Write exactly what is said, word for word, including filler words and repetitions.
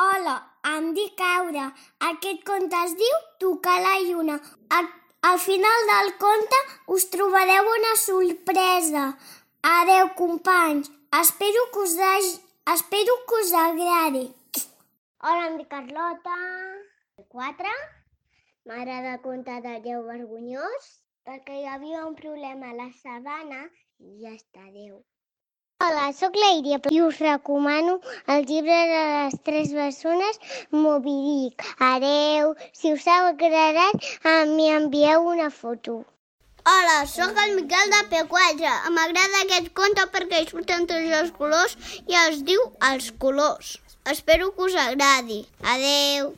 Hola, em dic Aura. Aquest conte es diu Tocar la lluna. Al, al final del conte us trobareu una sorpresa. Adeu, companys. Espero que us, hagi, espero que us agradi. Hola, em dic Carlota. Quatre. M'agrada el conte de Déu vergonyós perquè hi havia un problema a la sabana i ja està, adeu. Hola, sóc la Iria i us recomano el llibre de les tres bessones Moby Dick. Adeu, si us ha agradat, m'hi envieu una foto. Hola, sóc el Miquel de P quatre. M'agrada aquest conte perquè hi surten tots els colors i es diu Els colors. Espero que us agradi. Adeu.